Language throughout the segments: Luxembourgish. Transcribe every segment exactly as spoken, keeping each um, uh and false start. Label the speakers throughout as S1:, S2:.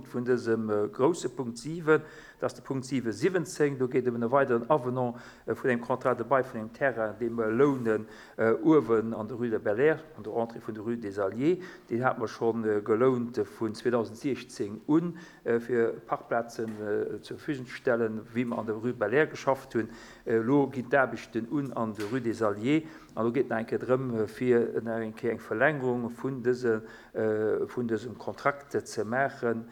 S1: Punkt vun dësem grousse Punkt siwen. Dat ass de Punkt siwe siwwenzéng. Do geet et ëm e weideren Avenant vun engem Contrat de bail vun engem Terrain, dee mer lounen uewen an der Rue de Bel-Air, an der Entrée vun der Rue des Alliés. Deen hate mer scho gelount vun zweedausendsiechzéng un, fir Parkplazen zur Verfügung ze stellen, wéi mer an der Rue Bel-Air geschafft hunn. Elo ginn d'Aarbechten un an der Rue des Alliés. An do geet et nach eng Kéier drëm, fir nach eng Kéier eng Verlängerung vun dëse, vun dësem Kontrakt ze maachen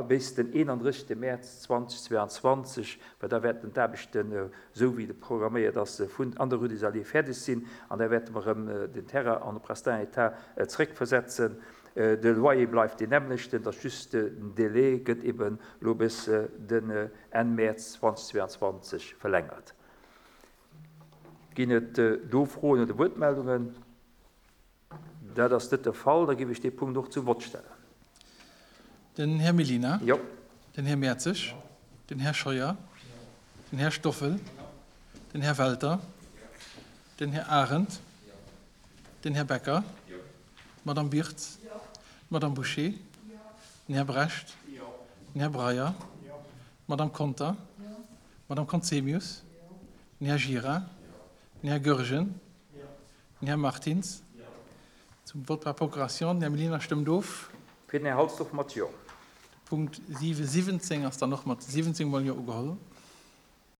S1: bis den eenandrëssegste Mäerz zweedausendzweianzwanzeg, well da wäerten d'Aarbechten, esou wéi et programméiert ass, vun an der Rue des Alliés fäerdeg sinn. An da wäerte mer erëm den Terrain an de prestin état zréckversetzen. De Loyer bleift deen nämmlechten, et ass just den Délai gëtt eben elo bis den Enn Mäerz zweedausendzweianzwanzeg verlängert. Ginn et do Froen oder Wuertmeldungen? Dat ass net de Fall. Da géif ech dee Punkt och zum Vott stellen.
S2: Den Här Mellina.
S1: Jo.
S2: Den Här Mertzig. Den Här Scheuer. Den Här Stoffel. Den Här Welter. Den Här Arendt. Den Här Becker. D'Madame Birtz. D'Madame Bouché. Den Här Brecht. Den Här Breyer. D'Madame Conter. D'Madame Conzemius. Den Här Gira. Den Här Goergen. Den Här Martins. Zum Vote par procuration. Den Här Mellina stëmmt of.
S1: Fir den Här Halsdorf mat Jo.
S2: De Punkt siwe siwwenzéng ass dann och mat siwwenzéng mol Jo ugeholl.